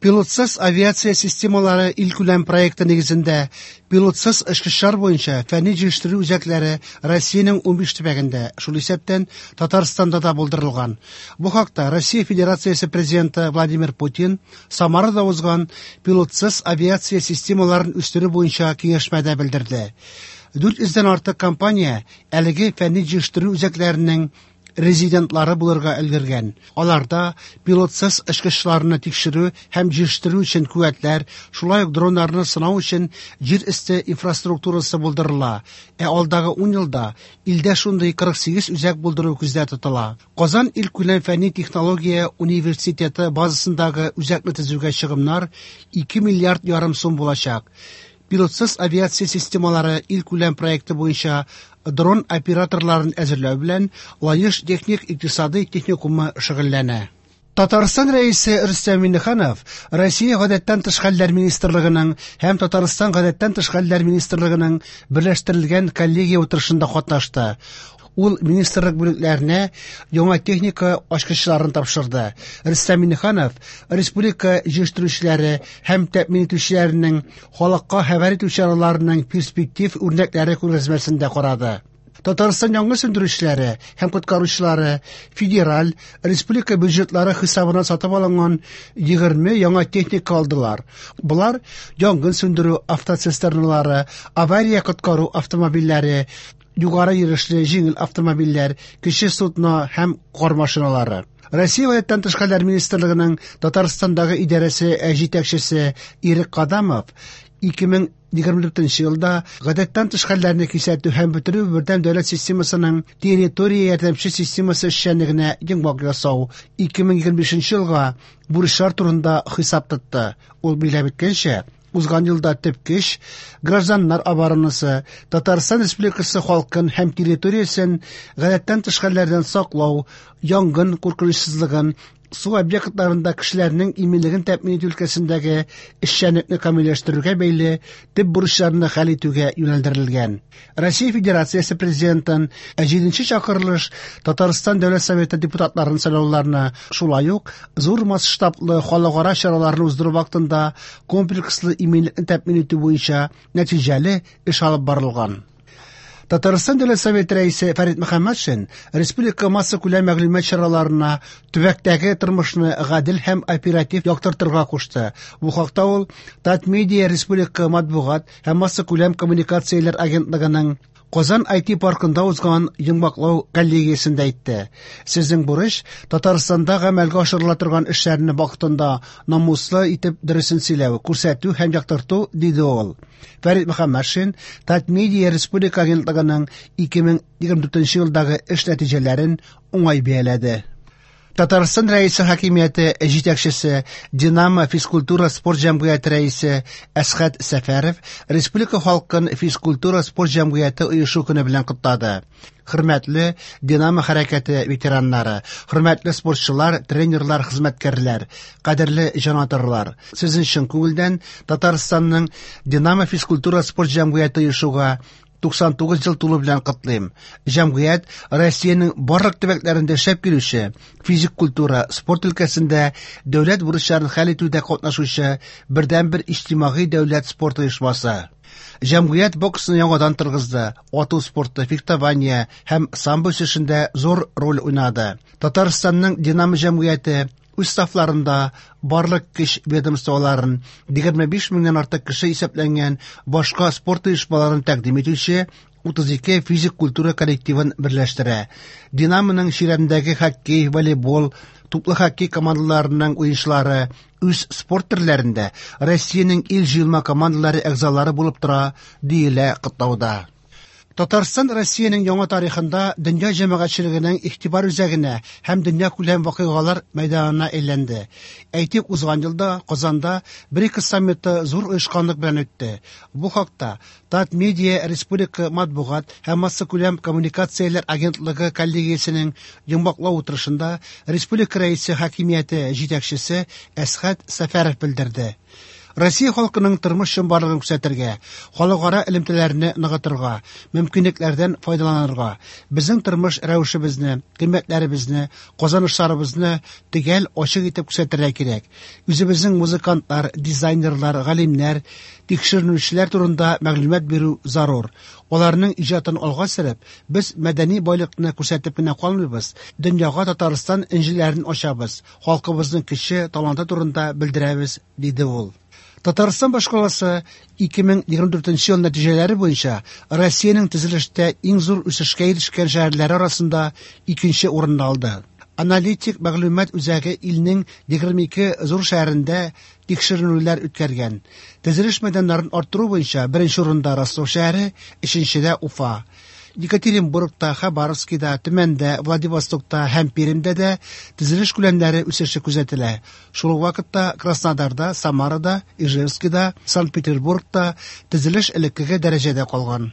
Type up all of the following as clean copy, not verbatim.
Пилотсыз авиация системалары илкүләм проекты нигезендә пилотсыз очкычлар буенча фәнни-җитештерү үзәкләре Россиянең 15 төбәгендә, шул исәптән Татарстанда да булдырылган. Бу хакта Россия Федерациясе Президенты Владимир Путин Самарада узган пилотсыз авиация системаларын үстерү буенча киңәшмәдә белдерде. 400 дән артык компания әлеге фәнни-җитештерү үзәкләренең резидентлары булырга өлгергән. Аларда пилотсыз очкычларны тикшерү һәм җитештерү өчен куәтләр, шулай ук дроннарны сынау өчен җир өсте инфраструктурасы булдырыла. Ә алдагы 10 елда илдә шундый 48 үзәк булдыру күздә тотыла. Казан илкүләм фәнни-технология университеты базасындагы үзәкне төзүгә чыгымнар 2 миллиард ярым сум булачак. Пилотсыз авиация системалары илкүләм проекты буенча дрон операторларын әзерләү белән Лаеш техник икътисадый техникумы шөгыльләнә. Татарстан Рәисе Рөстәм Миңнеханов Россия Гадәттән тыш хәлләр министрлыгының һәм Татарстан Гадәттән тыш хәлләр министрлыгының берләштерелгән коллегия утырышында катнашты. Ул министрлык бүлекләренә яңа техника ачкычларын тапшырды. Рөстәм Миңнеханов республика җыештыручылары һәм тәэмин итүчеләренең халыкка хәбәр итү чараларының перспектив үрнәкләре күргәзмәсен дә карады. Татарстан янгын сүндерүчеләре һәм коткаручылары федераль, республика бюджетлары хисабына сатып алынган 20 яңа техника алдылар. Болар янгын сүндерү автоцистерналары, авария коткару автомобильләре, югары йөрешле җиңел автомобильләр, кече судно һәм кар машиналары. Россия Гадәттән тыш хәлләр министрлыгының Татарстандагы идарәсе җитәкчесе Ирек Кадамов 2024 елда гадәттән тыш хәлләрне кисәтү һәм бетерү бердәм дәүләт системасының территория ярдәмче системасы эшчәнлегенә йомгак ясау 2025 елга бурычлар турында хисап тотты. Ул билгеләп үткәнчә, узган елда төп көч гражданнар оборонасы, Татарстан Республикасы халкын һәм территориясен гадәттән тыш хәлләрдән саклау, янгын куркынычсызлыгын, су объектларында кешеләрнең иминлеген тәэмин итү өлкәсендәге эшчәнлекне камилләштерүгә бәйле төп бурычларны хәл итүгә юнәлдерелгән. Россия Федерациясе Президентын 7 чакырылыш Татарстан Дәүләт Советы депутатларын сайлауларны, шулай ук зур масштаблы халыкара чараларны уздыру вакытында комплекслы иминлекне тәэмин итү буенча нәтиҗәле эш алып барылган. Татарстан Дәүләт Советы рәисе Фәрит Мөхәммәтшин республика массакүләм мәгълүмат чараларына төбәктәге тормышны гадел һәм оператив яктыртырга кушты. Бу хакта ул Татмедиа республика матбугат һәм массакүләм коммуникацияләр агентлыгының Казан IT паркында узган йомгаклау коллегиясендә әйтте. Сезнең бурыч Татарстанда гамәлгә ашырыла торган эшләрне вакытында намуслы итеп дөресен сөйләү, күрсәтү һәм яктырту, диде ул. Фәрит Мөхәммәтшин Татмедиа республика агентлыгының 2024 елдагы эш нәтиҗәләрен уңай бәяләде. Татарстан Рәисе хакимияте җитәкчесе, Динамо физкультура спорт җәмгыяте рәисе Әсхәт Сәфәров республика халкын физкультура спорт җәмгыяте оешу көне белән котлады. Хөрмәтле Динамо хәрәкәте ветераннары, хөрмәтле спортчылар, тренерлар, хезмәткәрләр, кадерле җанатарлар, сезнең чын күңелдән Татарстанның Динамо физкультура спорт җәмгыяте оешуга 99 ел тулу белән котлыйм. Җәмгыять Россиянең барлык төбәкләрендә эшләп килүче физик культура, спорт өлкәсендә дәүләт бурычларын хәл итүдә катнашучы бердәнбер иҗтимагый дәүләт спорт оешмасы. Җәмгыять боксны яңадан торгызды, ату спорты, фехтование һәм самбо үсешендә зур роль уйнады. Татарстанның Динамо җәмгыяте үз сафларында барлык көч ведомстволарын, 25 меңнән артык кеше исәпләнгән башка спорт оешмаларын тәкъдим итүче 32 физик культура коллективын берләштерә. Динамоның чирәмдәге хоккей, волейбол, туплы хоккей командаларының уенчылары үз спорт төрләрендә Россиянең ил җыелма командалары әгъзалары булып тора, диелә котлауда. Татарстан Россиянең яңа тарихында дөнья җәмәгатьчелегенең игътибар үзәгенә һәм дөньякүләм вакыйгалар мәйданына әйләнде. Әйтик, узган елда Казанда БРИКС саммиты зур оешканлык белән үтте. Бу хакта Татмедиа республика матбугат һәм массакүләм коммуникацияләр агентлыгы коллегиясенең йомгаклау утырышында республика рәисе хакимияте җитәкчесе Әсхәт Сәфәров белдерде. Россия халкының тормыш чынбарлыгын күрсәтергә, халыкара элемтәләрне ныгытырга, мөмкинлекләрдән файдаланырга, безнең тормыш рәвешебезне, кыйммәтләребезне, казанышларыбызны төгәл, ачык итеп күрсәтергә кирәк. Үзебезнең музыкантлар, дизайнерлар, галимнәр, тикшеренүчеләр турында мәгълүмат бирү зарур. Аларның иҗатын алга сөреп, без мәдәни байлыкны күрсәтеп кенә калмыйбыз, дөньяга Татарстан энҗеләрен ачабыз, халкыбызның көче, таланты турында белдерәбез, диде ул. Татарстан башкаласы 2024 ел нәтиҗәләре буенча Россиянең төзелештә иң зур үсешкә ирешкән шәһәрләре арасында икенче урынны алды. Аналитик мәгълүмат үзәге илнең 22 зур шәһәрендә тикшеренүләр үткәргән. Төзелеш мәйданнарын арттыру буенча беренче урында Ростов шәһәре, өченчедә Уфа. Екатеринбургта, Хабаровскида, Төмәндә, Владивостокта һәм Пермьдә дә төзелеш күләмнәре үсеше күзәтелә. Шул ук вакытта Краснодарда, Самарада, Ижевскида, Санкт-Петербургта төзелеш элеккеге дәрәҗәдә калган.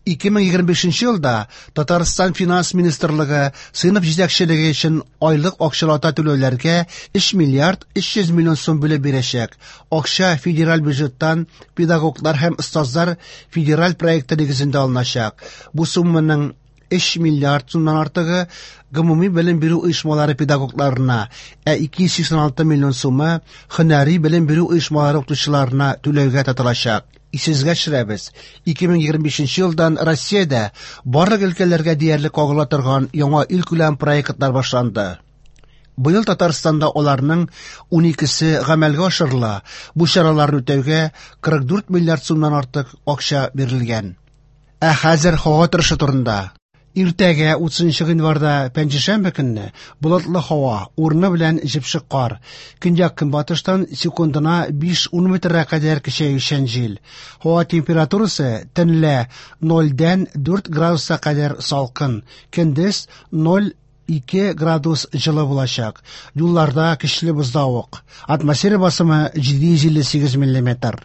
2025 елда Татарстан Финанс министрлыгы сыйныф җитәкчелеге өчен айлык акчалата түләүләргә 3 миллиард 300 миллион сум бүлеп бирәчәк. Акча федераль бюджеттан педагоглар һәм остазлар федераль проекты нигезендә алыначак. Бу сумманың 3 миллиард сумнан артыгы гомуми белем бирү оешмалары педагогларына, ә 286 миллион сумы һөнәри белем бирү оешмалары укытучыларына түләүгә тотылачак. Исегезгә төшерәбез, 2025 елдан Россиядә барлык өлкәләргә диярлек кагыла торган яңа илкүләм проектлар башланды. Быел Татарстанда аларның 12-се гамәлгә ашырыла. Бу чараларны үтәүгә 44 миллиард сумнан артык акча бирелгән. Ә хәзер һава торышы турында. Иртәгә 30 гыйнварда пәнҗешәмбе көнне болытлы һава, урыны белән җепшек кар. Көньяк-көнбатыштан секундына 5-10 метрга кадәр көчәючән җил. Һава температурасы төнлә 0-дән 4 градуска кадәр салкын, көндез 0-2 градус җылы булачак. Юлларда көчле бозлавык. Атмосфера басымы 758 миллиметр.